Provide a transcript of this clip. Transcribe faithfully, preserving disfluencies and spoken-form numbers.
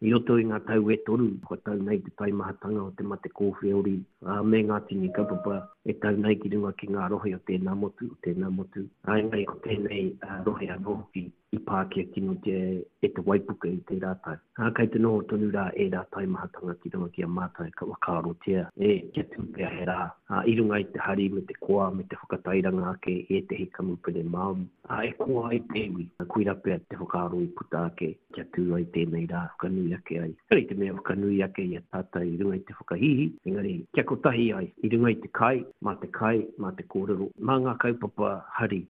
I roto i ngā tau e toru, kua tau nei te taimahatanga o te mate kōwheori ā, me ngā tini kaupapa e tau nei ki runga ki ngā rohe o tēnā motu, o tēnā motu. Ā, engari ko tēnei rohe anō hoki i pākia kinotia e te waipuke i tērā tau. Ā, kei te noho tonu rā ērā taimahatanga ki runga ki a mātou ka whakaarotia e kia tū pea he rā, ā, i runga i te hari me te koa me te whakatairanga ake i ētehi kamupene Māori, ā, e koa ai te iwi. Koirā pea te whakaaro i puta ake kia tū ai tēnei rā, whakanui ake ai. Ehara i te mea whakanui ake i a tātou i runga i te whakahīhī, engari kia kotahi ai i runga i te kai, mā te kai, mā te kōrero, mā ngā kaupapa hari.